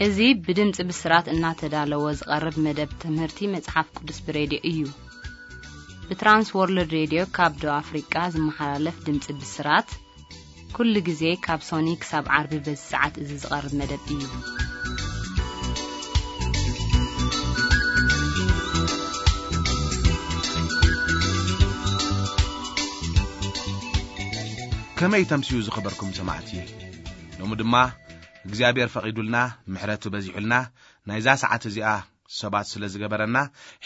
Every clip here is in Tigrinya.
እዚ ብድምፂ ብስራት እናተዳለወ ዝቐርብ መደብ ትምህርቲ መጽሓፍ ቅዱስ ብሬድዮ እዩ። ብትራንስ ወርልድ ሬድዮ ካብ ደቡብ ኣፍሪቃ ዝመሓላለፍ ድምፂ ብስራት ኩሉ ግዜ ካብ ሶኒ ክሳብ ዓርቢ በዚ ሰዓት እዚ ዝቐርብ መደብ እዩ። ከመይ ተምስዩ ዝኸበርኩም ሰማዕቲ? ሎሚ ድማ እግዚኣብሔር ፈቒዱልና ምሕረቱ በዚሑልና ናይዛ ሰዓት እዚኣ ሰባት ስለ ዝገበረና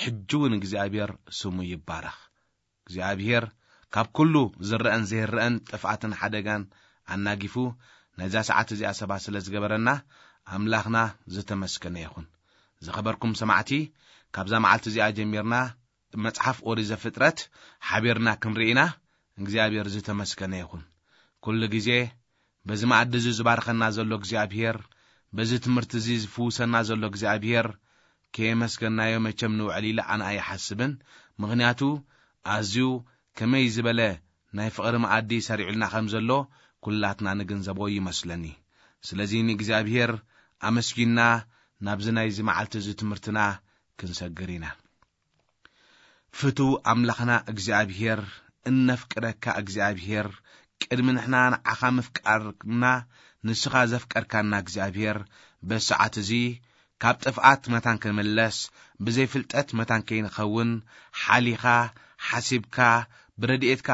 ሕጂ እውን እግዚኣብሔር ስሙ ይባረኽ። እግዚኣብሔር ካብ ኩሉ ዝረአን ዘይረአን ጥፍኣትን ሓደጋን ኣናጊፉ ናይዛ ሰዓት እዚኣ ሰባት ስለ ዝገበረና ኣምላኽና ዝተመስገነ ይኹን። ዝኸበርኩም ሰማዕቲ፣ ካብዛ መዓልቲ እዚኣ ጀሚርና መጽሓፍ ኦሪት ዘፍጥረት ሓቢርና ክንርኢ ኢና። እግዚኣብሔር ዝተመስገነ ይኹን። ኩሉ ግዜ በዚ መኣዲ እዚ ዝባርኸና ዘሎ እግዚኣብሔር፣ በዚ ትምህርቲ እዚ ዝፍውሰና ዘሎ እግዚኣብሔር ከየመስገናዮ መቸም ንውዕል ኢለ ኣነ ኣይሓስብን። ምኽንያቱ ኣዝዩ ከመይ ዝበለ ናይ ፍቕሪ መኣዲ ሰሪዑልና ከም ዘሎ ኩላትና ንግንዘቦ ይመስለኒ። ስለዚ ንእግዚኣብሔር ኣመስጊና ናብዚ ናይዚ መዓልቲ እዚ ትምህርትና ክንሰግር ኢና። ፍቱው ኣምላኽና እግዚኣብሔር፣ እነፍቅረካ እግዚኣብሔር፣ ቅድሚ ንሕና ንዓኻ ምፍቃርና ንስኻ ዘፍቀርካና እግዚኣብሔር፣ በሰዓት እዚ ካብ ጥፍኣት መታን ክንምለስ፣ ብዘይ ፍልጠት መታን ከይንኸውን፣ ሓሊኻ፣ ሓሲብካ፣ ብረድኤትካ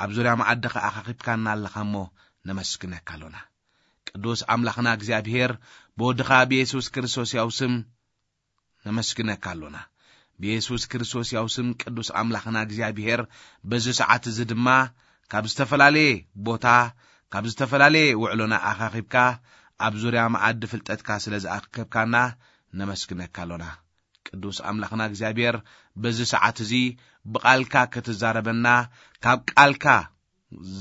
ኣብ ዙርያ መኣድኻ ኣኻኺብካና ኣለኻ እሞ ነመስግነካ ኣሎና። ቅዱስ ኣምላኽና እግዚኣብሔር፣ ብወድኻ ብየሱስ ክርስቶስ ያው ስም ነመስግነካ ኣሎና። ብየሱስ ክርስቶስ ያው ስም ቅዱስ ኣምላኽና እግዚኣብሔር፣ በዚ ሰዓት እዚ ድማ ካብ ዝተፈላለየ ቦታ፣ ካብ ዝተፈላለየ ውዕሎና ኣኻኺብካ ኣብ ዙርያ መኣዲ ፍልጠትካ ስለ ዝኣከብካና ነመስግነካ ኣሎና። ቅዱስ ኣምላኽና እግዚኣብሔር፣ በዚ ሰዓት እዚ ብቓልካ ክትዛረበና፣ ካብ ቃልካ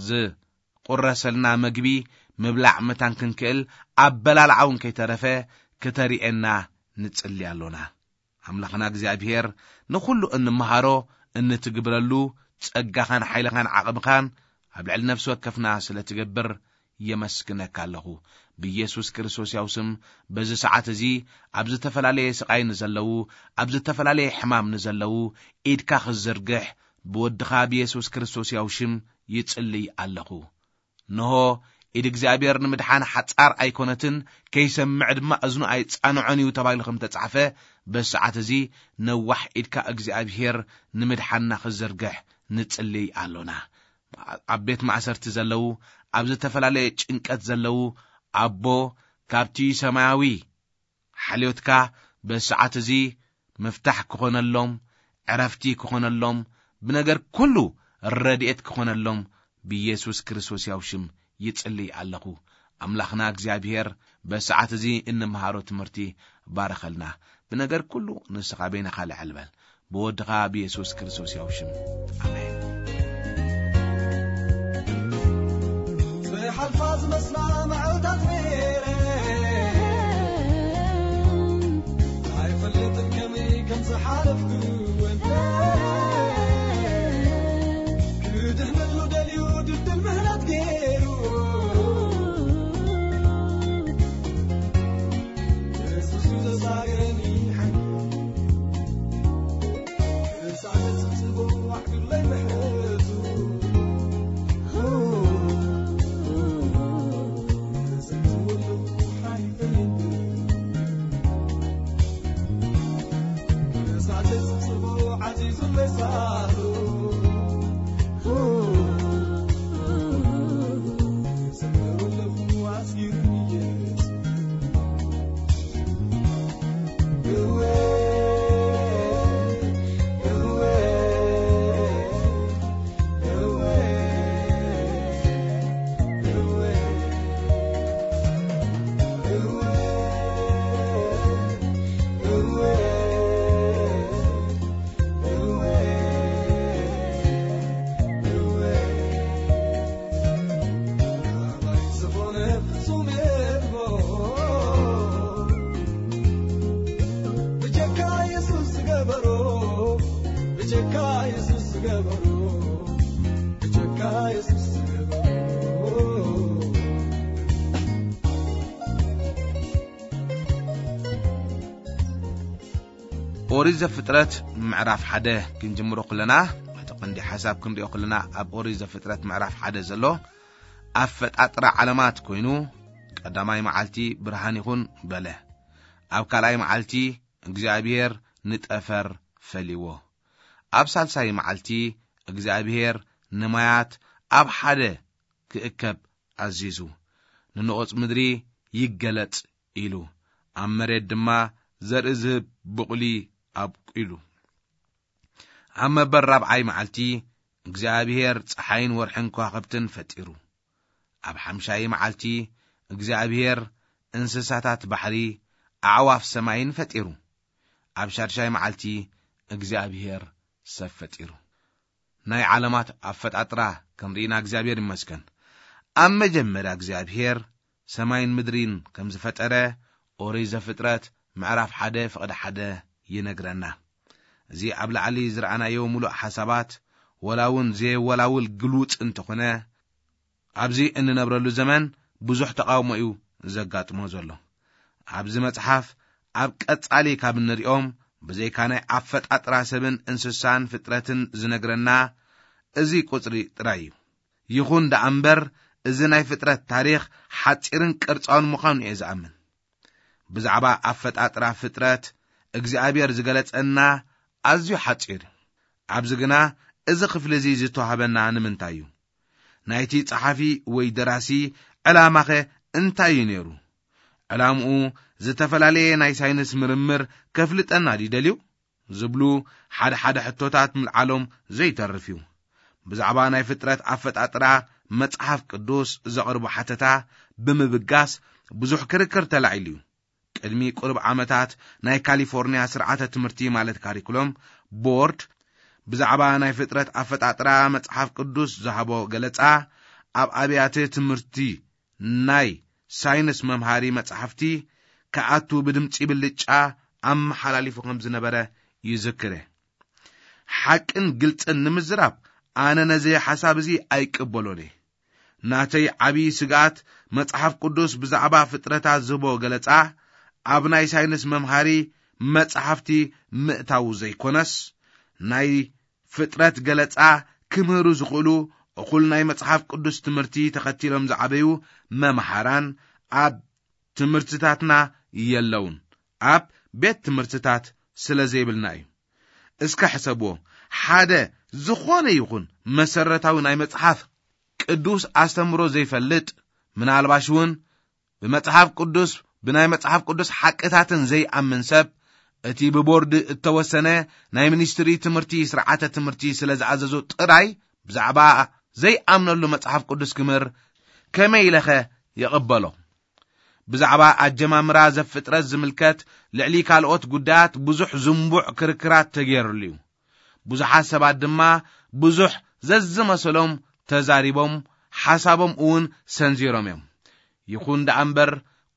ዝቁረሰልና መግቢ ምብላዕ መታን ክንክእል፣ ኣበላልዓ እውን ከይተረፈ ክተርእየና ንጽሊ ኣሎና። ኣምላኽና እግዚኣብሔር፣ ንኹሉ እንመሃሮ፣ እንትግብረሉ፣ ጸጋኻን ሓይልኻን ዓቕምኻን ኣብ ልዕሊ ነፍሲ ወከፍና ስለ ትገብር፣ የመስግነካ ኣለኹ። ብኢየሱስ ክርስቶስ ያው ስም፣ በዚ ሰዓት እዚ፣ ኣብ ዝተፈላለየ ስቓይ ንዘለዉ፣ ኣብ ዝተፈላለየ ሕማም ንዘለዉ፣ ኢድካ ክትዝርግሕ፣ ብወድኻ ብኢየሱስ ክርስቶስ ያው ሽም ይጽልይ ኣለኹ። እንሆ፣ ኢድ እግዚኣብሔር ንምድሓን ሓጻር ኣይኮነትን፣ ከይሰምዕ ድማ እዝኑ ኣይጻንዖን እዩ ተባሂሉ ከም ተጻሕፈ፣ በዚ ሰዓት እዚ ነዋሕ ኢድካ እግዚኣብሔር ንምድሓንና ክዝርግሕ ንጽልይ ኣሎና። ኣብ ቤት ማእሰርቲ ዘለዉ፣ ኣብ ዝተፈላለየ ጭንቀት ዘለዉ፣ ኣቦ፣ ካብቲ ሰማያዊ ሓልዮትካ በዚ ሰዓት እዚ ምፍታሕ ክኾነሎም፣ ዕረፍቲ ክኾነሎም፣ ብነገር ኩሉ ረድኤት ክኾነሎም ብኢየሱስ ክርስቶስ ያው ሽም ይጽልይ ኣለኹ። ኣምላኽና እግዚኣብሔር በዚ ሰዓት እዚ እንመሃሮ ትምህርቲ ባርኸልና። ብነገር ኩሉ ንስኻ በይንኻ ልዕል በል። ብወድኻ ብየሱስ ክርስቶስ ያው ሽም። ኣሜን። ዝሓልፋ ዝመስላ መዓልታት ነይረ፣ ኣይፈልጥን ከመይ ከም ዝሓለፍኩ ወንተ። ክድሕነሉ ደልዩ ድልድል ምህረት ገይሩ፣ የሱስ እዩ ዘሳገረኒ ሓይሉ። ኦሪት ዘፍጥረት ምዕራፍ ሓደ ክንጅምሮ ከለና፣ እቲ ቀንዲ ሓሳብ ክንሪኦ ከለና፣ ኣብ ኦሪት ዘፍጥረት ምዕራፍ ሓደ ዘሎ ኣፈጣጥራ ዓለማት ኮይኑ፣ ቀዳማይ መዓልቲ ብርሃን ይኹን በለ። ኣብ ካልኣይ መዓልቲ እግዚኣብሔር ንጠፈር ፈልይዎ። ኣብ ሳልሳይ መዓልቲ እግዚኣብሔር ንማያት ኣብ ሓደ ክእከብ ኣዚዙ፣ ንንቑጽ ምድሪ ይገለጽ ኢሉ፣ ኣብ መሬት ድማ ዘርኢ ዝህብ ብቑሊ ኣብቂሉ። ኣብ መበል ራብዓይ መዓልቲ እግዚኣብሔር ጸሓይን ወርሕን ከዋኽብትን ፈጢሩ። ኣብ ሓምሻይ መዓልቲ እግዚኣብሔር እንስሳታት ባሕሪ፣ ኣዕዋፍ ሰማይን ፈጢሩ። ኣብ ሻድሻይ መዓልቲ እግዚኣብሔር ሰብ ፈጢሩ። ናይ ዓለማት ኣፈጣጥራ ክንርኢና እግዚኣብሔር ይመስገን። ኣብ መጀመርያ እግዚኣብሔር ሰማይን ምድሪን ከም ዝፈጠረ ኦሪት ዘፍጥረት ምዕራፍ ሓደ ፍቕዲ ሓደ ይነግረና። እዚ ኣብ ላዕሊ ዝረኣናዮ ምሉእ ሓሳባት፣ ወላ እውን ዘየወላውል ግሉጽ እንተኾነ፣ ኣብዚ እንነብረሉ ዘመን ብዙሕ ተቓውሞ እዩ ዘጋጥሞ ዘሎ። ኣብዚ መጽሓፍ ኣብ ቀጻሊ ካብ እንሪኦም፣ ብዘይካ ናይ ኣፈጣጥራ ሰብን እንስሳን ፍጥረትን ዝነግረና እዚ ቁጽሪ ጥራይ እዩ። ይኹን ደኣ እምበር፣ እዚ ናይ ፍጥረት ታሪኽ ሓጺርን ቅርጻውን ምዃኑ እየ ዝኣምን። ብዛዕባ ኣፈጣጥራ ፍጥረት እግዚኣብሔር ዝገለጸና ኣዝዩ ሓጺር እዩ። ኣብዚ ግና እዚ ክፍሊ እዚ ዝተዋህበና ንምንታይ እዩ? ናይቲ ጸሓፊ ወይ ደራሲ ዕላማኸ እንታይ እዩ ነይሩ? ዕላምኡ ዝተፈላለየ ናይ ሳይንስ ምርምር ከፍልጠና ድዩ ደልዩ? ዝብሉ ሓደ ሓደ ሕቶታት ምልዓሎም ዘይተርፍ እዩ። ብዛዕባ ናይ ፍጥረት ኣፈጣጥራ መጽሓፍ ቅዱስ ዘቕርቦ ሓተታ ብምብጋስ ብዙሕ ክርክር ተላዒሉ እዩ። ቅድሚ ቁሩብ ዓመታት ናይ ካሊፎርንያ ስርዓተ ትምህርቲ ማለት ካሪኩሎም ቦርድ ብዛዕባ ናይ ፍጥረት ኣፈጣጥራ መጽሓፍ ቅዱስ ዝሃቦ ገለጻ፣ ኣብ ኣብያተ ትምህርቲ ናይ ሳይንስ መምሃሪ መጻሕፍቲ ክኣቱ ብድምጺ ብልጫ ኣመሓላሊፉ ከም ዝነበረ ይዝክር። ሓቅን ግልጽን ንምዝራብ፣ ኣነ ነዚ ሓሳብ እዚ ኣይቅበሎን እየ። ናተይ ዓብዪ ስግኣት፣ መጽሓፍ ቅዱስ ብዛዕባ ፍጥረታት ዝህቦ ገለጻ ኣብ ናይ ሳይንስ መምሃሪ መጻሕፍቲ ምእታዉ ዘይኮነስ፣ ናይ ፍጥረት ገለጻ ክምህሩ ዝኽእሉ እኹል ናይ መጽሓፍ ቅዱስ ትምህርቲ ተኸቲሎም ዝዓበዩ መምሃራን ኣብ ትምህርትታትና የለውን፣ ኣብ ቤት ትምህርትታት ስለ ዘይብልና እዩ። እስከ ሕሰብዎ፣ ሓደ ዝኾነ ይኹን መሰረታዊ ናይ መጽሓፍ ቅዱስ ኣስተምህሮ ዘይፈልጥ፣ ምናልባሽ እውን ብመጽሓፍ ቅዱስ፣ ብናይ መጽሓፍ ቅዱስ ሓቅታትን ዘይኣምን ሰብ፣ እቲ ብቦርድ እተወሰነ ናይ ሚኒስትሪ ትምህርቲ ስርዓተ ትምህርቲ ስለ ዝኣዘዞ ጥራይ ብዛዕባ ዘይኣምነሉ መጽሓፍ ቅዱስ ክምህር ከመይ ኢለኸ ይቕበሎ? ብዛዕባ ኣጀማምራ ዘፍጥረት ዝምልከት ልዕሊ ካልኦት ጉዳያት ብዙሕ ዝንቡዕ ክርክራት ተገይሩሉ እዩ። ብዙሓት ሰባት ድማ ብዙሕ ዘዝመሰሎም ተዛሪቦም፣ ሓሳቦም እውን ሰንዚሮም እዮም። ይኹን ደኣ እምበር፣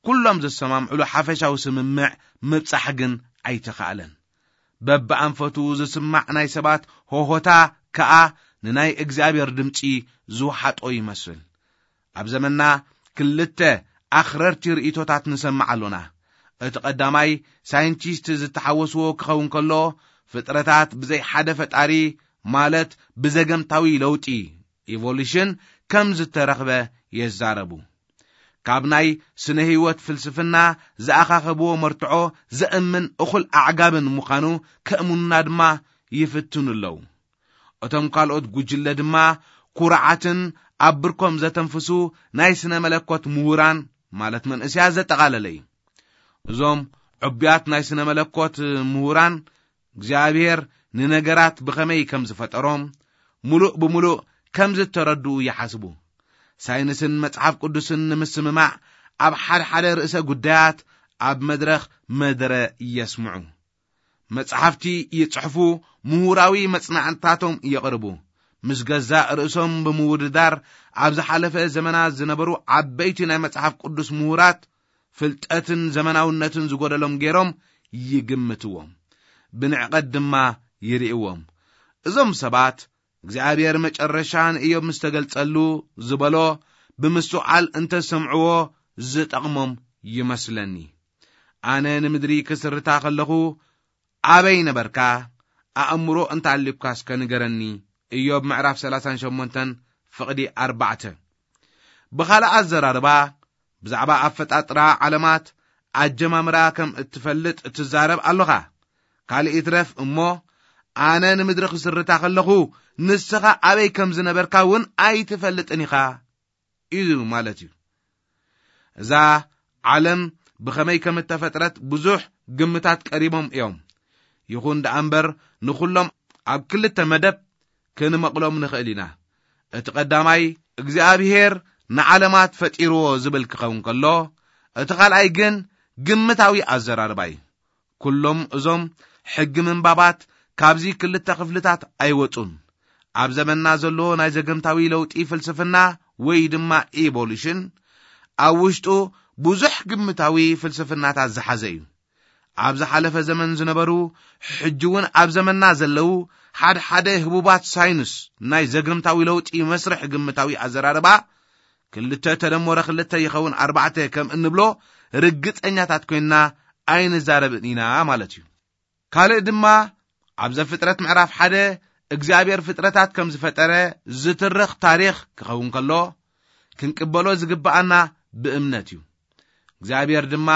ኩሎም ዘሰማምዕሉ ሓፈሻዊ ስምምዕ ምብጻሕ ግን ኣይተኻእለን። በብኣንፈቱ ዝስማዕ ናይ ሰባት ሆሆታ ከኣ ንናይ እግዚኣብሔር ድምጺ ዝወሓጦ ይመስል። ኣብ ዘመንና ክልተ ኣኽረርቲ ርእይቶታት ንሰምዕ ኣሎና። እቲ ቀዳማይ፣ ሳይንቲስት ዝተሓወስዎ ክኸውን ከሎ፣ ፍጥረታት ብዘይ ሓደ ፈጣሪ፣ ማለት ብዘገምታዊ ለውጢ፣ ኢቮሉሽን፣ ከም ዝተረኽበ የዛረቡ። ካብ ናይ ስነ ህይወት ፍልስፍና ዝኣኻኸብዎ መርትዖ ዘእምን እኹል ኣዕጋብን ምዃኑ ከእምኑና ድማ ይፍትኑ ኣለዉ። እቶም ካልኦት ጉጅለ ድማ ኩርዓትን ኣብ ብርኮም ዘተንፍሱ ናይ ስነ መለኮት ምሁራን፣ ማለት መንእሰያት ዘጠቓለለ እዩ። እዞም ዕቡያት ናይ ስነ መለኮት ምሁራን፣ እግዚኣብሔር ንነገራት ብኸመይ ከም ዝፈጠሮም፣ ምሉእ ብምሉእ ከም ዝተረድኡ ይሓስቡ። ሳይንስን መጽሓፍ ቅዱስን ንምስምማዕ፣ ኣብ ሓደ ሓደ ርእሰ ጉዳያት ኣብ መድረኽ መደረ የስምዑ። መጽሓፍቲ ይጽሕፉ፣ ምሁራዊ መጽናዕትታቶም የቕርቡ። ምስ ገዛእ ርእሶም ብምውድዳር፣ ኣብ ዝሓለፈ ዘመናት ዝነበሩ ዓበይቲ ናይ መጽሓፍ ቅዱስ ምሁራት፣ ፍልጠትን ዘመናውነትን ዝጎደሎም ገይሮም ይግምትዎም፣ ብንዕቀት ድማ ይርእይዎም። እዞም ሰባት፣ እግዚኣብሔር መጨረሻ ንእዮብ ምስ ተገልጸሉ ዝበሎ ብምስትውዓል እንተ ሰምዕዎ ዝጠቕሞም ይመስለኒ። ኣነ ንምድሪ ክስርታ ከለኹ፣ ኣበይ ነበርካ? ኣእምሮ እንተኣሊብካ እስከ ንገረኒ። ኢዮብ ምዕራፍ ሰላሳን ሸሞንተን ፍቕዲ ኣርባዕተ። ብኻልእ ኣዘራርባ፣ ብዛዕባ ኣፈጣጥራ ዓለማት ኣጀማምራ ከም እትፈልጥ ትዛረብ ኣለኻ። ካልእ ይትረፍ እሞ፣ ኣነ ንምድሪ ክስርታ ከለኹ፣ ንስኻ ኣበይ ከም ዝነበርካ እውን ኣይትፈልጥን ኢኻ እዩ ማለት እዩ። እዛ ዓለም ብኸመይ ከም እተፈጥረት ብዙሕ ግምታት ቀሪቦም እዮም። ይኹን ደኣ እምበር፣ ንኹሎም ኣብ ክልተ መደብ ክንመቕሎም ንኽእል ኢና። እቲ ቀዳማይ፣ እግዚኣብሔር ንዓለማት ፈጢርዎ ዝብል ክኸውን ከሎ፣ እቲ ካልኣይ ግን ግምታዊ ኣዘራርባ እዩ። ኩሎም እዞም ሕጊ ምንባባት ካብዚ ክልተ ክፍልታት ኣይወጹን። ኣብ ዘመንና ዘሎ ናይ ዘገምታዊ ለውጢ ፍልስፍና ወይ ድማ ኢቮሉሽን ኣብ ውሽጡ ብዙሕ ግምታዊ ፍልስፍናታት ዝሓዘ እዩ። ኣብ ዝሓለፈ ዘመን ዝነበሩ፣ ሕጂ እውን ኣብ ዘመንና ዘለዉ ሓደ ሓደ ህቡባት ሳይንስ ናይ ዘገምታዊ ለውጢ መስርሕ ግምታዊ ኣዘራርባ ክልተ ተደመረ ክልተ ይኸውን ኣርባዕተ ከም እንብሎ ርግጸኛታት ኮይንና ኣይንዛረብን ኢና ማለት እዩ። ካልእ ድማ ኣብ ዘፍጥረት ምዕራፍ ሓደ እግዚኣብሔር ፍጥረታት ከም ዝፈጠረ ዝትርኽ ታሪኽ ክኸውን ከሎ፣ ክንቅበሎ ዝግብኣና ብእምነት እዩ። እግዚኣብሔር ድማ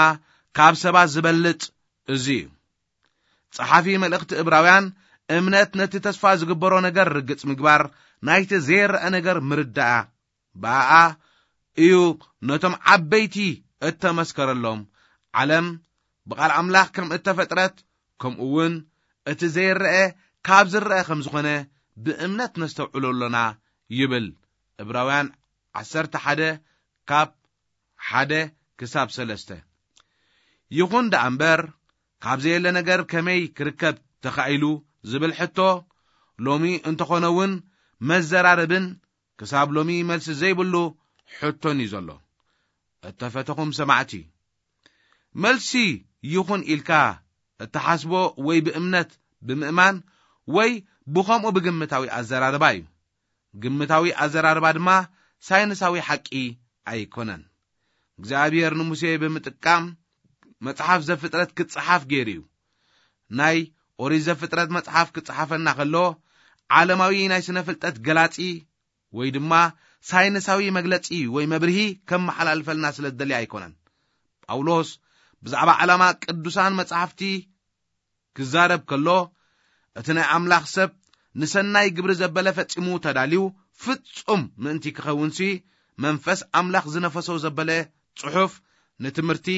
ካብ ሰባት ዝበልጽ እዚ እዩ። ጸሓፊ መልእኽቲ እብራውያን፣ እምነት ነቲ ተስፋ ዝግበሮ ነገር ርግጽ ምግባር፣ ናይቲ ዘይረአ ነገር ምርዳኣ፣ ብኣኣ እዩ ነቶም ዓበይቲ እተመስከረሎም። ዓለም ብቓል ኣምላኽ ከም እተፈጥረት፣ ከምኡ እውን እቲ ዘይረአ ካብ ዝረአ ከም ዝኾነ ብእምነት ነስተውዕሎ ኣሎና ይብል። እብራውያን ዓሰርተ ሓደ ካብ ሓደ ክሳብ ሰለስተ። ይኹን ደኣ እምበር፣ ካብ ዘየለ ነገር ከመይ ክርከብ ተኻኢሉ ዝብል ሕቶ፣ ሎሚ እንተኾነ እውን መዘራረብን ክሳብ ሎሚ መልሲ ዘይብሉ ሕቶን እዩ ዘሎ። እተፈተኹም ሰማዕቲ፣ መልሲ ይኹን ኢልካ እትሓስቦ ወይ ብእምነት ብምእማን ወይ ብኸምኡ ብግምታዊ ኣዘራርባ እዩ። ግምታዊ ኣዘራርባ ድማ ሳይንሳዊ ሓቂ ኣይኮነን። እግዚኣብሔር ንሙሴ ብምጥቃም መጽሓፍ ዘፍጥረት ክጸሓፍ ገይሩ እዩ። ናይ ኦሪት ዘፍጥረት መጽሓፍ ክጸሓፈና ከሎ፣ ዓለማዊ ናይ ስነ ፍልጠት ገላጺ ወይ ድማ ሳይንሳዊ መግለጺ ወይ መብርሂ ከመሓላልፈልና ስለ ዝደሊ ኣይኮነን። ጳውሎስ ብዛዕባ ዓላማ ቅዱሳን መጻሕፍቲ ክዛረብ ከሎ፣ እቲ ናይ ኣምላኽ ሰብ ንሰናይ ግብሪ ዘበለ ፈጺሙ ተዳልዩ ፍጹም ምእንቲ ክኸውንሲ፣ መንፈስ ኣምላኽ ዝነፈሶ ዘበለ ጽሑፍ ንትምህርቲ፣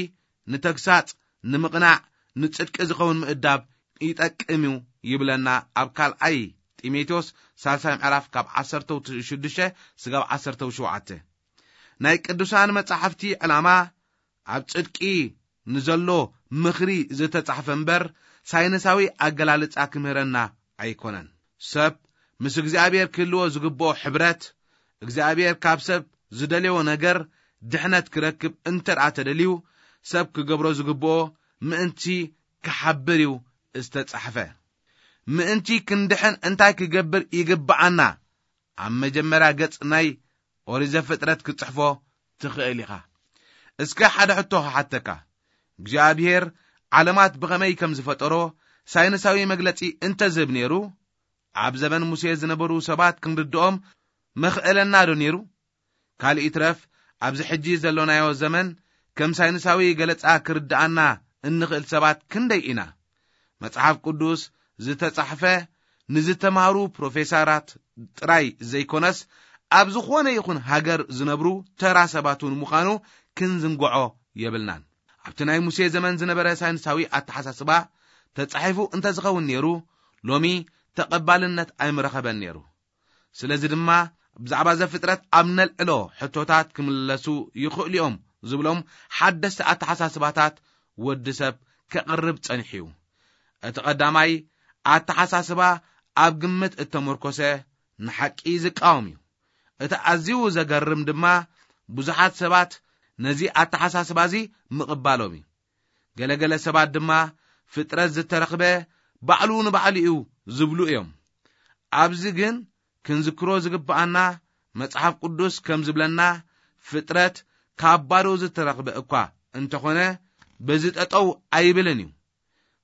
ንተግሳጽ፣ ንምቕናዕ፣ ንጽድቂ ዝኸውን ምእዳብ ይጠቅም እዩ ይብለና። ኣብ ካልኣይ ጢሞቴዎስ ሳልሳይ ምዕራፍ ካብ ዓሰርተ ሽዱሽተ ስጋብ ዓሰርተ ሸውዓተ። ናይ ቅዱሳን መጻሕፍቲ ዕላማ ኣብ ጽድቂ ንዘሎ ምኽሪ ዝተጻሕፈ እምበር፣ ሳይንሳዊ ኣገላልጻ ክምህረና ኣይኮነን። ሰብ ምስ እግዚኣብሔር ክህልዎ ዝግብኦ ሕብረት፣ እግዚኣብሔር ካብ ሰብ ዝደልዮ ነገር ድሕነት ክረክብ እንተ ደኣ ተደልዩ፣ ሰብ ክገብሮ ዝግብኦ ምእንቲ ክሓብር እዩ ዝተጻሕፈ። ምእንቲ ክንድሕን እንታይ ክገብር ይግብኣና? ኣብ መጀመርያ ገጽ ናይ ኦሪት ዘፍጥረት ክትጽሕፎ ትኽእል ኢኻ። እስከ ሓደ ሕቶ ክሓተካ። እግዚኣብሔር ዓለማት ብኸመይ ከም ዝፈጠሮ ሳይንሳዊ መግለጺ እንተ ዝህብ ነይሩ፣ ኣብ ዘመን ሙሴ ዝነበሩ ሰባት ክንርድኦም መኽእለና ዶ ነይሩ? ካልእ ይትረፍ፣ ኣብዚ ሕጂ ዘሎናዮ ዘመን ከም ሳይንሳዊ ገለጻ ክርድኣና እንኽእል ሰባት ክንደይ ኢና? መጽሓፍ ቅዱስ ዝተጻሕፈ ንዝተማህሩ ፕሮፌሰራት ጥራይ ዘይኮነስ፣ ኣብ ዝኾነ ይኹን ሃገር ዝነብሩ ተራ ሰባት እውን ምዃኑ ክንዝንግዖ የብልናን። ኣብቲ ናይ ሙሴ ዘመን ዝነበረ ሳይንሳዊ ኣተሓሳስባ ተጻሒፉ እንተ ዝኸውን ነይሩ፣ ሎሚ ተቐባልነት ኣይምረኸበን ነይሩ። ስለዚ ድማ ብዛዕባ ዘፍጥረት ኣብ ነልዕሎ ሕቶታት ክምለሱ ይኽእሉ እዮም ዝብሎም ሓደስቲ ኣተሓሳስባታት ወዲ ሰብ ከቕርብ ጸኒሑ እዩ። እቲ ቀዳማይ ኣተሓሳስባ ኣብ ግምት እተመርኮሰ ንሓቂ ዝቃወም እዩ። እቲ ኣዝዩ ዘገርም ድማ ብዙሓት ሰባት ነዚ ኣተሓሳስባ እዚ ምቕባሎም እዩ። ገለገለ ሰባት ድማ ፍጥረት ዝተረኽበ ባዕሉ ንባዕሉ እዩ ዝብሉ እዮም። ኣብዚ ግን ክንዝክሮ ዝግብኣና መጽሓፍ ቅዱስ ከም ዝብለና ፍጥረት ካብ ባዶ ዝተረኽበ እኳ እንተኾነ በዚ ጠጠው ኣይብልን እዩ።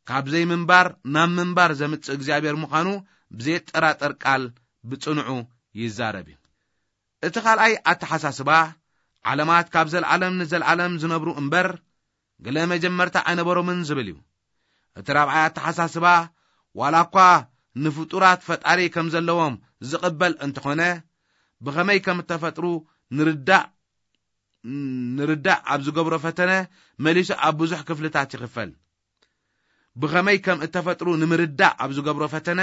ካብ ዘይምንባር ናብ ምንባር ዘምጽእ እግዚኣብሔር ምዃኑ ብዘየጠራጠር ቃል ብጽንዑ ይዛረብ እዩ። እቲ ካልኣይ ኣተሓሳስባ፣ ዓለማት ካብ ዘልዓለም ንዘልዓለም ዝነብሩ እምበር፣ ገለ መጀመርታ ኣይነበሮምን ዝብል እዩ። እቲ ራብዓይ ኣተሓሳስባ፣ ዋላ እኳ ንፍጡራት ፈጣሪ ከም ዘለዎም ዝቕበል እንተኾነ፣ ብኸመይ ከም እተፈጥሩ ንርዳእ፣ ንርዳእ ኣብ ዝገብሮ ፈተነ መሊሱ ኣብ ብዙሕ ክፍልታት ይኽፈል። ብኸመይ ከም እተፈጥሩ ንምርዳእ ኣብ ዝገብሮ ፈተነ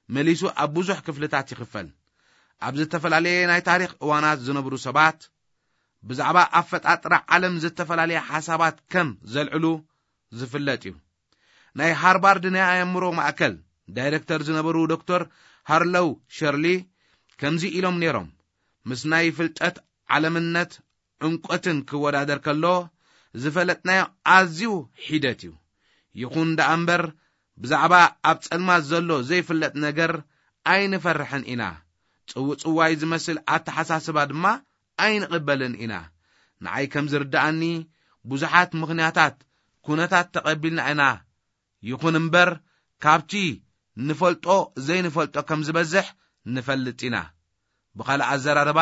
መሊሱ ኣብ ብዙሕ ክፍልታት ይኽፈል። ኣብ ዝተፈላለየ ናይ ታሪኽ እዋናት ዝነብሩ ሰባት ብዛዕባ ኣፈጣጥራ ዓለም ዝተፈላለየ ሓሳባት ከም ዘልዕሉ ዝፍለጥ እዩ። ናይ ሃርቫርድ ናይ ኣእምሮ ማእከል ዳይረክተር ዝነበሩ ዶክተር ሃርሎው ሸርሊ ከምዚ ኢሎም ነይሮም፣ ምስ ናይ ፍልጠት ዓለምነት ዕምቆትን ክወዳደር ከሎ ዝፈለጥናዮ ኣዝዩ ሒደት እዩ። ይኹን ደኣ እምበር ብዛዕባ ኣብ ጸልማት ዘሎ ዘይፍለጥ ነገር ኣይንፈርሕን ኢና። ጽውጽዋይ ዝመስል ኣተሓሳስባ ድማ ኣይንቕበልን ኢና። ንዓይ ከም ዝርድኣኒ ብዙሓት ምኽንያታት፣ ኩነታት ተቐቢልና ኢና። ይኹን እምበር ካብቲ ንፈልጦ ዘይንፈልጦ ከም ዝበዝሕ ንፈልጥ ኢና። ብኻልእ ኣዘራርባ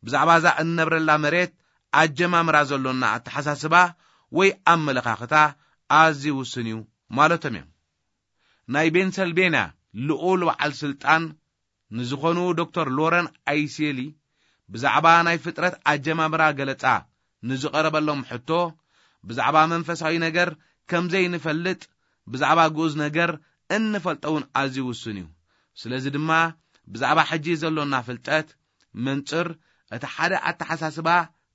ብዛዕባ እዛ እንነብረላ መሬት ኣጀማምራ ዘሎና ኣተሓሳስባ ወይ ኣመለኻኽታ ኣዝዩ ውሱን እዩ ማለቶም እዮም። ናይ ቤንሰልቤንያ ልኡል በዓል ስልጣን ንዝኾኑ ዶክተር ሎረን ኣይሴሊ ብዛዕባ ናይ ፍጥረት ኣጀማምራ ገለጻ ንዝቐረበሎም ሕቶ፣ ብዛዕባ መንፈሳዊ ነገር ከም ዘይንፈልጥ ብዛዕባ ግኡዝ ነገር እንፈልጦ እውን ኣዝዩ ውሱን እዩ። ስለዚ ድማ ብዛዕባ ሕጂ ዘሎና ፍልጠት መንጽር እቲ ሓደ ኣተሓሳስባ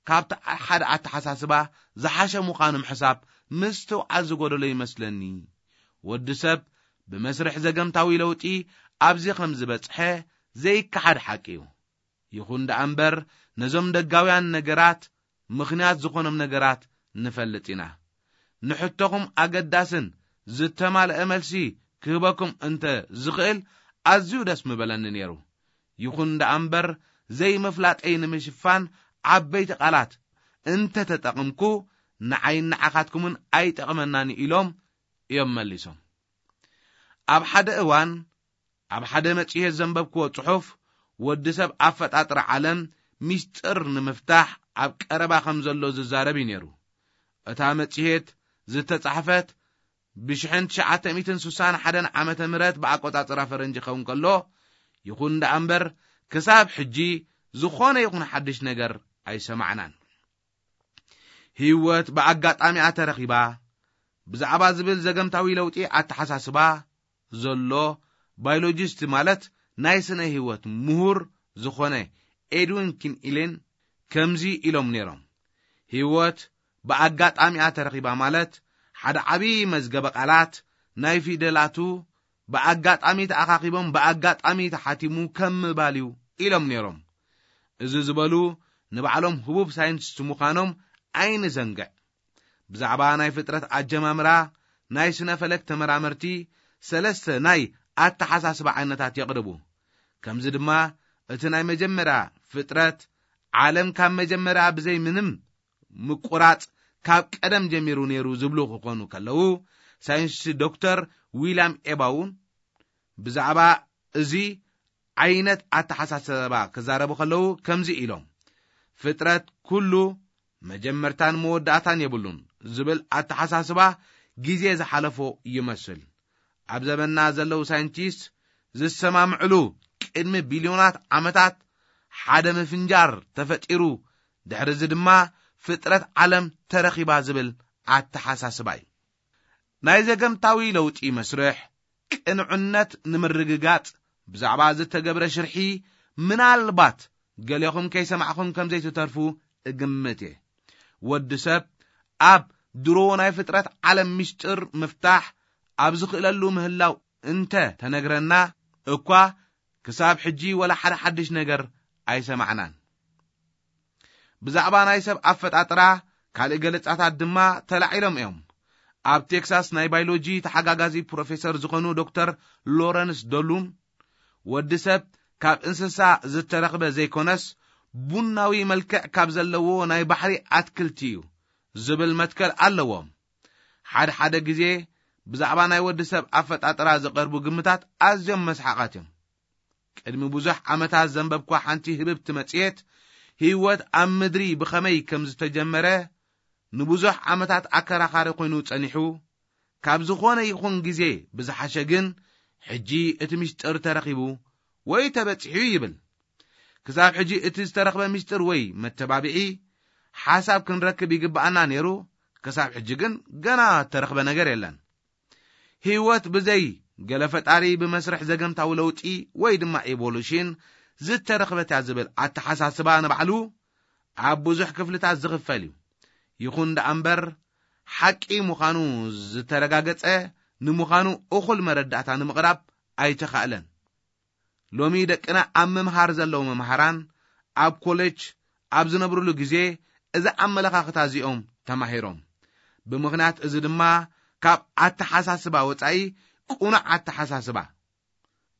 ካብቲ ሓደ ኣተሓሳስባ ዝሓሸ ምዃኑ ምሕሳብ ምስትውዓል ዝጎደሎ ይመስለኒ። ወዲ ሰብ ብመስርሕ ዘገምታዊ ለውጢ ኣብዚ ከም ዝበጽሐ ዘይከሓድ ሓቂ እዩ። ይኹን ደኣ እምበር ነዞም ደጋውያን ነገራት ምኽንያት ዝኾኖም ነገራት ንፈልጥ ኢና። ንሕቶኹም ኣገዳስን ዝተማልአ መልሲ ክህበኩም እንተ ዝኽእል ኣዝዩ ደስ ምበለኒ ነይሩ። ይኹን ደኣ እምበር ዘይምፍላጠይ ንምሽፋን ዓበይቲ ቃላት እንተ ተጠቕምኩ ንዓይን ንዓኻትኩምን ኣይጠቕመናን ኢሎም እዮም መሊሶም። ኣብ ሓደ እዋን ኣብ ሓደ መጽሔት ዘንበብክዎ ጽሑፍ ወዲ ሰብ ኣፈጣጥራ ዓለም ሚስጥር ንምፍታሕ ኣብ ቀረባ ከም ዘሎ ዝዛረብ እዩ ነይሩ። እታ መጽሔት ዝተጻሕፈት ብ1961 ዓመተ ምህረት ብኣቆጻጽራ ፈረንጂ ክኸውን ከሎ፣ ይኹን ደኣ እምበር ክሳብ ሕጂ ዝኾነ ይኹን ሓድሽ ነገር ኣይሰማዕናን። ህይወት ብኣጋጣሚኣ ተረኺባ ብዛዕባ ዝብል ዘገምታዊ ለውጢ ኣተሓሳስባ ዘሎ ባዮሎጂስት ማለት ናይ ስነ ህይወት ምሁር ዝኾነ ኤድዊን ኪን ኢሌን ከምዚ ኢሎም ነይሮም። ህይወት ብኣጋጣሚኣ ተረኺባ ማለት ሓደ ዓብዪ መዝገበ ቃላት ናይ ፊደላቱ ብኣጋጣሚ ተኣኻኺቦም ብኣጋጣሚ ተሓቲሙ ከም ምባል እዩ ኢሎም ነይሮም። እዚ ዝበሉ ንባዕሎም ህቡብ ሳይንቲስት ምዃኖም ኣይንዘንግዕ። ብዛዕባ ናይ ፍጥረት ኣጀማምራ ናይ ስነ ፈለክ ተመራመርቲ ሰለስተ ናይ ኣተሓሳስባ ዓይነታት የቕርቡ። ከምዚ ድማ እቲ ናይ መጀመርያ ፍጥረት ዓለም ካብ መጀመርያ ብዘይ ምንም ምቁራጽ ካብ ቀደም ጀሚሩ ነይሩ ዝብሉ ክኾኑ ከለዉ፣ ሳይንቲስት ዶክተር ዊልያም ኤባውን ብዛዕባ እዚ ዓይነት ኣተሓሳስባ ክዛረቡ ከለዉ ከምዚ ኢሎም፣ ፍጥረት ኩሉ መጀመርታን መወዳእታን የብሉን ዝብል ኣተሓሳስባ ግዜ ዝሓለፎ ይመስል። ኣብ ዘመንና ዘለዉ ሳይንቲስት ዝሰማምዕሉ ቅድሚ ቢልዮናት ዓመታት ሓደ ምፍንጃር ተፈጢሩ፣ ድሕሪ እዚ ድማ ፍጥረት ዓለም ተረኺባ ዝብል ኣተሓሳስባ እዩ። ናይ ዘገምታዊ ለውጢ መስርሕ ቅንዕነት ንምርግጋጽ ብዛዕባ ዝተገብረ ሽርሒ ምናልባት ገሌኹም ከይሰማዕኹም ከም ዘይትተርፉ እግምት እየ። ወዲ ሰብ ኣብ ድሮ ናይ ፍጥረት ዓለም ምስጢር ምፍታሕ ኣብ ዝኽእለሉ ምህላው እንተ ተነግረና እኳ ክሳብ ሕጂ ወላ ሓደ ሓድሽ ነገር ኣይሰማዕናን። ብዛዕባ ናይ ሰብ ኣፈጣጥራ ካልእ ገለጻታት ድማ ተላዒሎም እዮም። ኣብ ቴክሳስ ናይ ባዮሎጂ ተሓጋጋዚ ፕሮፌሰር ዝኾኑ ዶክተር ሎረንስ ዶሉን ወዲ ሰብ ካብ እንስሳ ዝተረኽበ ዘይኮነስ ቡናዊ መልክዕ ካብ ዘለዎ ናይ ባሕሪ ኣትክልቲ እዩ ዝብል መትከል ኣለዎም። ሓደ ሓደ ግዜ ብዛዕባ ናይ ወዲ ሰብ ኣፈጣጥራ ዝቐርቡ ግምታት ኣዝዮም መስሓቓት እዮም። ቅድሚ ብዙሕ ዓመታት ዘንበብኳ ሓንቲ ህብብቲ መጽሔት፣ ህይወት ኣብ ምድሪ ብኸመይ ከም ዝተጀመረ ንብዙሕ ዓመታት ኣከራኻሪ ኮይኑ ጸኒሑ፣ ካብ ዝኾነ ይኹን ግዜ ብዝሓሸ ግን፣ ሕጂ እቲ ምስጢር ተረኺቡ ወይ ተበጺሑ ይብል። ክሳብ ሕጂ እቲ ዝተረኽበ ምስጢር ወይ መተባብዒ ሓሳብ ክንረክብ ይግብኣና ነይሩ፣ ክሳብ ሕጂ ግን ገና እተረኽበ ነገር የለን። ህይወት ብዘይ ገለ ፈጣሪ ብመስርሕ ዘገምታዊ ለውጢ ወይ ድማ ኢቮሉሽን ዝተረኽበት እያ ዝብል ኣተሓሳስባ ንባዕሉ ኣብ ብዙሕ ክፍልታት ዝኽፈል እዩ። ይኹን ደኣ እምበር፣ ሓቂ ምዃኑ ዝተረጋገጸ ንምዃኑ እኹል መረዳእታ ንምቕራብ ኣይተኻእለን። ሎሚ ደቅና ኣብ ምምሃር ዘለዉ መምሃራን ኣብ ኮሌጅ ኣብ ዝነብሩሉ ግዜ እዚ ኣመለኻኽታ እዚኦም ተማሂሮም። ብምኽንያት እዚ ድማ ካብ ኣተሓሳስባ ወጻኢ ቅኑዕ ኣተሓሳስባ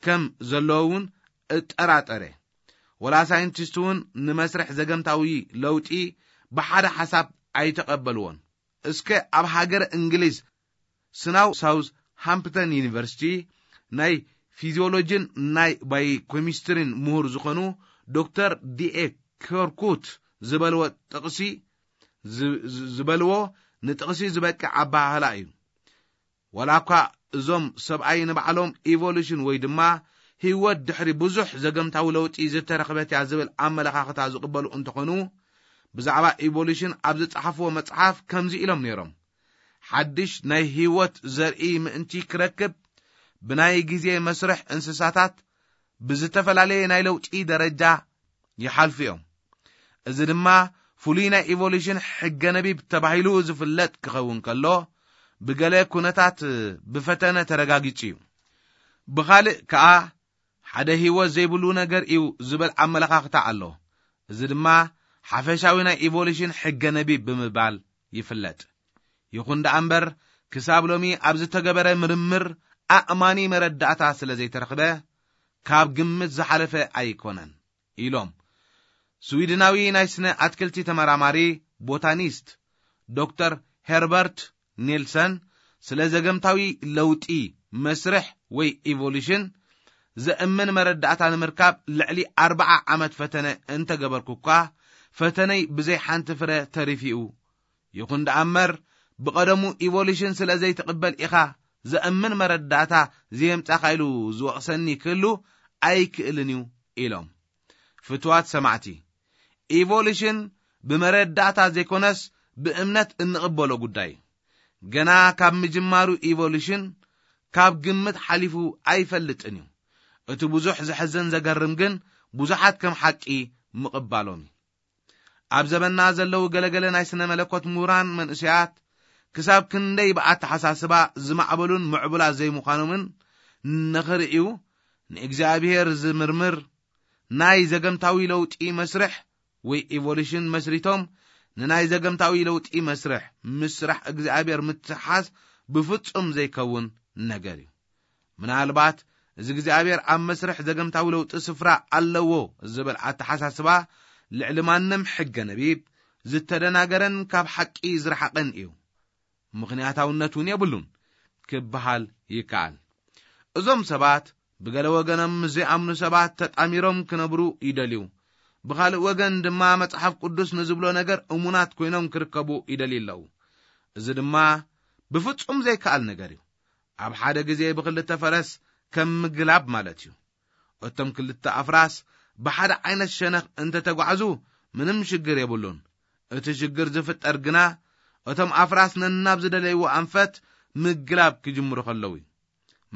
ከም ዘለዎ እውን እጠራጠረ። ወላ ሳይንቲስት እውን ንመስርሕ ዘገምታዊ ለውጢ ብሓደ ሓሳብ ኣይተቐበልዎን። እስከ ኣብ ሃገረ እንግሊዝ ስናው ሳውዝ ሃምፕተን ዩኒቨርሲቲ ናይ ፊዚዮሎጂን ናይ ባዮኬሚስትሪን ምሁር ዝኾኑ ዶክተር ዲኤ ከርኩት ዝበልዎ ጥቕሲ ዝ-፣ ዝ-፣ ዝበልዎ ንጥቕሲ ዝበቅዕ ኣበሃህላ እዩ። ዋላ እኳ እዞም ሰብኣይ ንባዕሎም ኢቮሉሽን ወይ ድማ ህይወት ድሕሪ ብዙሕ ዘገምታዊ ለውጢ ዝተረኽበት እያ ዝብል ኣመለኻኽታ ዝቕበሉ እንተኾኑ፣ ብዛዕባ ኢቮሉሽን ኣብ ዝጸሓፍዎ መጽሓፍ ከምዚ ኢሎም ነይሮም። ሓድሽ ናይ ህይወት ዘርኢ ምእንቲ ክረክብ፣ ብናይ ግዜ መስርሕ እንስሳታት ብዝተፈላለየ ናይ ለውጢ ደረጃ ይሓልፉ እዮም። እዚ ድማ ፍሉይ ናይ ኢቮሉሽን ሕገ ነቢብ ተባሂሉ ዝፍለጥ ክኸውን ከሎ፣ ብገለ ኩነታት ብፈተነ ተረጋጊጹ እዩ። ብኻልእ ከኣ፣ ሓደ ህይወት ዘይብሉ ነገር እዩ ዝብል ኣመለኻኽታ ኣሎ። እዚ ድማ ሓፈሻዊ ናይ ኢቮሉሽን ሕገ ነቢብ ብምባል ይፍለጥ። ይኹን ደኣ እምበር፣ ክሳብ ሎሚ ኣብ ዝተገበረ ምርምር ኣእማኒ መረዳእታ ስለ ዘይተረኽበ፣ ካብ ግምት ዝሓለፈ ኣይኮነን ኢሎም። ስዊድናዊ ናይ ስነ ኣትክልቲ ተመራማሪ፣ ቦታኒስት፣ ዶክተር ሄርበርት ኔልሰን ስለ ዘገምታዊ ለውጢ መስርሕ ወይ ኢቮሉሽን ዘእምን መረዳእታ ንምርካብ ልዕሊ ኣርብዓ ዓመት ፈተነ እንተገበርኩ እኳ፣ ፈተነይ ብዘይ ሓንቲ ፍረ ተሪፊኡ። ይኹን ደኣ እምበር፣ ብቐደሙ ኢቮሉሽን ስለ ዘይትቕበል ኢኻ ዘእምን መረዳእታ ዘየምጻኻ ኢሉ ዝወቕሰኒ ክህሉ ኣይክእልን እዩ ኢሎም። ፍትዋት ሰማዕቲ፣ ኢቮሉሽን ብመረዳእታ ዘይኮነስ ብእምነት እንቕበሎ ጉዳይ እዩ። ገና ካብ ምጅማሩ ኢቮሉሽን ካብ ግምት ሓሊፉ ኣይፈልጥን እዩ። እቲ ብዙሕ ዘሕዝን ዘገርም ግን ብዙሓት ከም ሓቂ ምቕባሎም እዩ። ኣብ ዘበንና ዘለዉ ገለገለ ናይ ስነ መለኮት ምሁራን መንእሰያት ክሳብ ክንደይ ብኣተሓሳስባ ዝማዕበሉን ምዕቡላት ዘይምዃኖምን ንኽርእዩ፣ ንእግዚኣብሔር ዝምርምር ናይ ዘገምታዊ ለውጢ መስርሕ ወይ ኢቮሉሽን መስሪቶም፣ ንናይ ዘገምታዊ ለውጢ መስርሕ ምስ ስራሕ እግዚኣብሔር ምትሓዝ ብፍጹም ዘይከውን ነገር እዩ። ምናልባት እዚ እግዚኣብሔር ኣብ መስርሕ ዘገምታዊ ለውጢ ስፍራ ኣለዎ ዝብል ኣተሓሳስባ ልዕሊ ማንም ሕገ ነቢብ ዝተደናገረን ካብ ሓቂ ዝረሓቐን እዩ። ምኽንያታውነት እውን የብሉን ክበሃል ይከኣል። እዞም ሰባት ብገለ ወገኖም ምስ ዘይኣምኑ ሰባት ተጣሚሮም ክነብሩ ይደልዩ። ብኻልእ ወገን ድማ መጽሓፍ ቅዱስ ንዝብሎ ነገር እሙናት ኮይኖም ክርከቡ ይደልዩ ኣለዉ። እዚ ድማ ብፍጹም ዘይከኣል ነገር እዩ። ኣብ ሓደ ግዜ ብኽልተ ፈረስ ከም ምግላብ ማለት እዩ። እቶም ክልተ ኣፍራስ ብሓደ ዓይነት ሸነኽ እንተተጓዕዙ ምንም ሽግር የብሉን። እቲ ሽግር ዝፍጠር ግና እቶም ኣፍራስ ነናብ ዝደለይዎ ኣንፈት ምግላብ ክጅምሩ ከለዉ እዩ።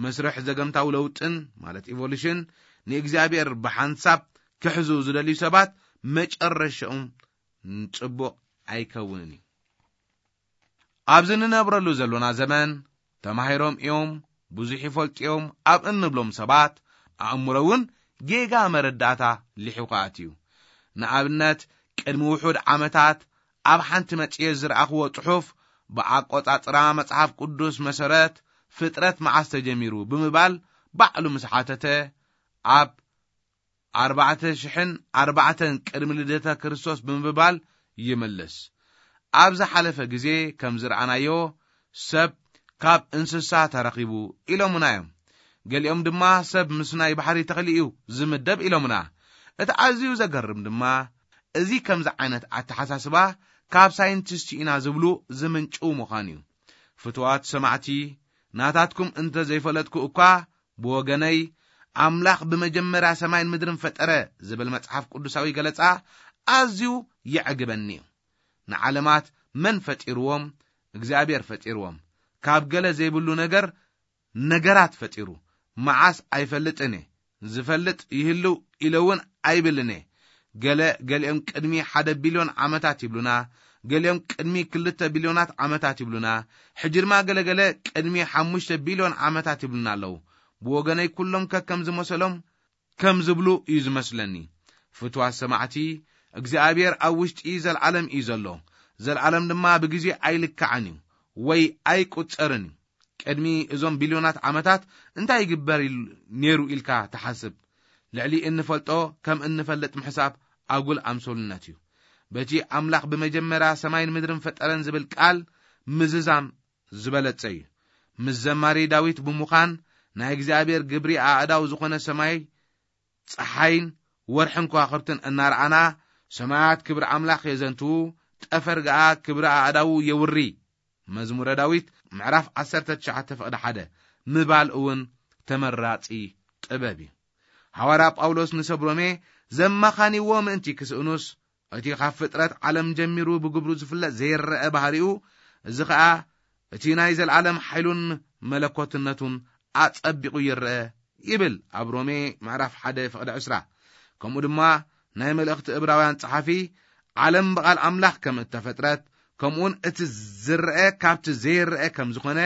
መስርሕ ዘገምታዊ ለውጥን፣ ማለት ኢቮሉሽን፣ ንእግዚኣብሔር ብሓንሳብ ክሕዙ ዝደልዩ ሰባት መጨረሻኦም ጽቡቕ ኣይከውንን እዩ። ኣብዚ ንነብረሉ ዘሎና ዘመን ተማሂሮም እዮም፣ ብዙሕ ይፈልጡ እዮም ኣብ እንብሎም ሰባት ኣእምሮ እውን ጌጋ መረዳእታ ሊሑ ክኣት እዩ። ንኣብነት፣ ቅድሚ ውሑድ ዓመታት ኣብ ሓንቲ መጽሔት ዝረኣኽዎ ጽሑፍ፣ ብኣቆጻጽራ መጽሓፍ ቅዱስ መሰረት ፍጥረት መዓስ ተጀሚሩ ብምባል ባዕሉ ምስ ሓተተ፣ ኣብ ኣርባዕተ ሽሕን ኣርባዕተን ቅድሚ ልደተ ክርስቶስ ብምባል ይምልስ። ኣብ ዝሓለፈ ግዜ ከም ዝረኣናዮ፣ ሰብ ካብ እንስሳ ተረኺቡ ኢሎምና እዮም። ገሊኦም ድማ ሰብ ምስ ናይ ባሕሪ ተኽሊ እዩ ዝምደብ ኢሎምና። እቲ ኣዝዩ ዘገርም ድማ እዚ ከምዚ ዓይነት ኣተሓሳስባ ካብ ሳይንቲስት ኢና ዝብሉ ዝምንጭው ምዃን እዩ። ፍቱዋት ሰማዕቲ፣ ናታትኩም እንተ ዘይፈለጥኩ እኳ ብወገነይ ኣምላኽ ብመጀመርያ ሰማይን ምድርን ፈጠረ ዝብል መጽሓፍ ቅዱሳዊ ገለጻ ኣዝዩ የዕግበኒ እዩ። ንዓለማት መን ፈጢርዎም? እግዚኣብሔር ፈጢርዎም። ካብ ገለ ዘይብሉ ነገር ነገራት ፈጢሩ። መዓስ ኣይፈልጥን እየ። ዝፈልጥ ይህልው ኢለ እውን ኣይብልን እየ። ገለ ገሊኦም ቅድሚ ሓደ ቢልዮን ዓመታት ይብሉና፣ ገሊኦም ቅድሚ ክልተ ቢልዮናት ዓመታት ይብሉና፣ ሕጂ ድማ ገለገለ ቅድሚ ሓሙሽተ ቢልዮን ዓመታት ይብሉና ኣለዉ። ብወገነይ ኩሎም ከከም ዝመሰሎም ከም ዝብሉ እዩ ዝመስለኒ። ፍትዋት ሰማዕቲ፣ እግዚኣብሔር ኣብ ውሽጢ ዘለዓለም እዩ ዘሎ። ዘለዓለም ድማ ብግዜ ኣይልካዕን እዩ ወይ ኣይቁጸርን እዩ። ቅድሚ እዞም ቢልዮናት ዓመታት እንታይ ይግበር ኢል-፣ ነይሩ ኢልካ ትሓስብ? ልዕሊ እንፈልጦ ከም እንፈልጥ ምሕሳብ ኣጉል ኣምሶልነት እዩ። በቲ ኣምላኽ ብመጀመርያ ሰማይን ምድርን ፈጠረን ዝብል ቃል ምዝዛም ዝበለጸ እዩ። ምስ ዘማሪ ዳዊት ብምዃን ናይ እግዚኣብሔር ግብሪ ኣእዳው ዝኾነ ሰማይ፣ ጸሓይን ወርሕን ከዋኽብትን እናረኣና፣ ሰማያት ክብሪ ኣምላኽ የዘንትዉ፣ ጠፈር ገኣ ክብሪ ኣእዳዉ የውሪ። መዝሙረ ዳዊት ምዕራፍ ዓሰርተ ትሽዓተ ፍቕዲ ሓደ ምባል እውን ተመራጺ ጥበብ እዩ። ሃዋርያ ጳውሎስ ንሰብ ሮሜ ዘማኻንይዎ ምእንቲ ክስእኑስ፣ እቲ ካብ ፍጥረት ዓለም ጀሚሩ ብግብሩ ዝፍለጥ ዘይረአ ባህሪኡ፣ እዚ ኸኣ እቲ ናይ ዘለዓለም ሓይሉን መለኮትነቱን ኣጸቢቑ ይረአ ይብል ኣብ ሮሜ ምዕራፍ ሓደ ፍቕዲ ዕስራ። ከምኡ ድማ ናይ መልእኽቲ እብራውያን ጸሓፊ ዓለም ብቓል ኣምላኽ ከም እተፈጥረት፣ ከምኡውን እቲ ዝረአ ካብቲ ዘይረአ ከም ዝኾነ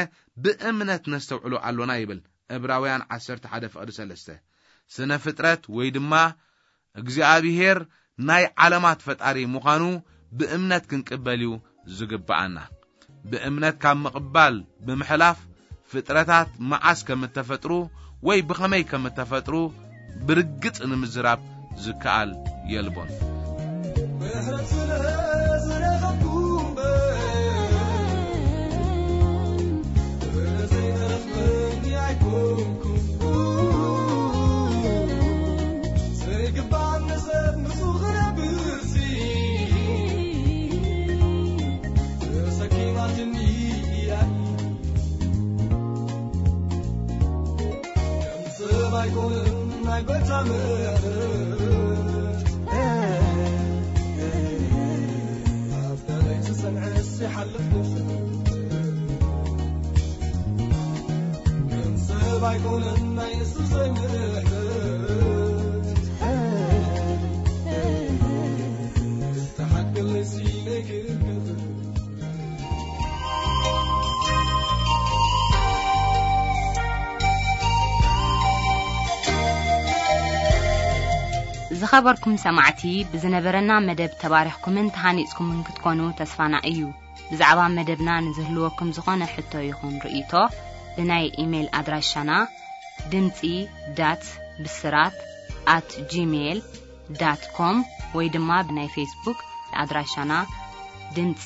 ብእምነት ነስተውዕሎ ኣሎና ይብል እብራውያን ዓሰርተ ሓደ ፍቕዲ ሰለስተ። ስነ ፍጥረት ወይ ድማ እግዚኣብሔር ናይ ዓለማት ፈጣሪ ምዃኑ ብእምነት ክንቅበል እዩ ዝግብኣና። ብእምነት ካብ ምቕባል ብምሕላፍ ፍጥረታት መዓስ ከም እተፈጥሩ ወይ ብኸመይ ከም እተፈጥሩ ብርግጽ ንምዝራብ ዝከኣል የልቦን። ምሕረት ስለ ዝረኸብኩ እምበር፣ ስለ ዘይተረኽበኒ ኣይኮንኩን። ዘይግባእ ንሰብ ምስኡ ክነብርሲ፣ ተሰኪማትኒ እያ። ሰብ ኣይኮነን ናይ ጎይታ ምሕረት፣ ኣብ ደረይ ዝጸንዐስ ይሓልፍ ነፍሲ። ከም ሰብ ኣይኮነን ናይ የሱሰይ ምሕረት፣ ዝተሓገለሲ ናይ ክብር ዝኸበርኩም ሰማዕቲ፣ ብዝነበረና መደብ ተባሪኽኩምን ተሃኒጽኩምን ክትኮኑ ተስፋና እዩ። ብዛዕባ መደብና ንዝህልወኩም ዝኾነ ሕቶ ይኹን ርእይቶ፣ ብናይ ኢሜይል ኣድራሻና ድምጺ ዳት ብስራት ኣት ጂሜይል ዳት ኮም ወይ ድማ ብናይ ፌስቡክ ኣድራሻና ድምጺ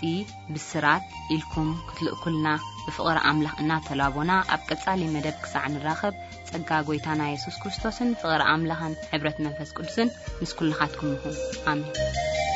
ብስራት ኢልኩም ክትልእኩልና ብፍቕሪ ኣምላኽ እናተላቦና፣ ኣብ ቀጻሊ መደብ ክሳዕ ንራኸብ፣ ጸጋ ጎይታና የሱስ ክርስቶስን ፍቕሪ ኣምላኽን ሕብረት መንፈስ ቅዱስን ምስ ኩልኻትኩም ይኹን። ኣሜን።